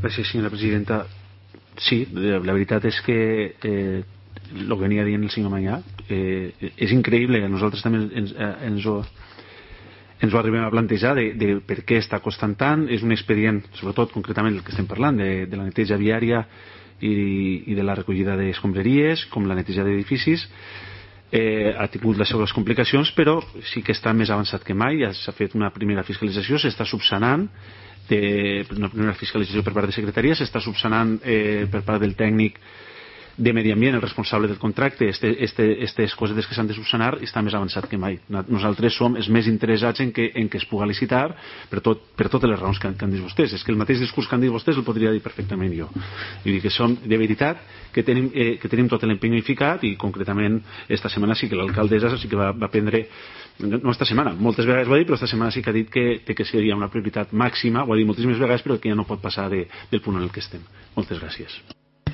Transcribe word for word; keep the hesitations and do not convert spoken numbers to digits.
Gràcies, senyora presidenta. Sí, la veritat és que eh, el que venia dient el senyor Manyà eh, és increïble. Nosaltres també ens, ens, ho, ens ho arribem a plantejar de, de per què està costant tant. És un expedient, sobretot concretament el que estem parlant, de, de la neteja viària i, i de la recollida d'escombraries, com la neteja d'edificis. Eh, ha tingut les seves complicacions, però sí que està més avançat que mai. Ja s'ha fet una primera fiscalització, s'està subsanant, de, una primera fiscalització per part de secretaria, s'està subsanant eh, per part del tècnic de Medi Ambient, el responsable del contracte. Aquestes este, este, cosetes que s'han de subsanar està més avançat que mai. Nosaltres som els més interessats en que, en que es puga licitar per, tot, per totes les raons que, que han dit vostès. És que el mateix discurs que han dit vostès el podria dir perfectament jo. Vull dir que som de veritat que tenim, eh, que tenim tot l'empenyo ficat, i concretament esta setmana sí que l'alcaldessa sí que va, va prendre, no esta setmana, moltes vegades ho ha dit, però esta setmana sí que ha dit que, que seria una prioritat màxima, ho ha dit moltíssimes vegades, però que ja no pot passar de, del punt en el que estem. Moltes gràcies.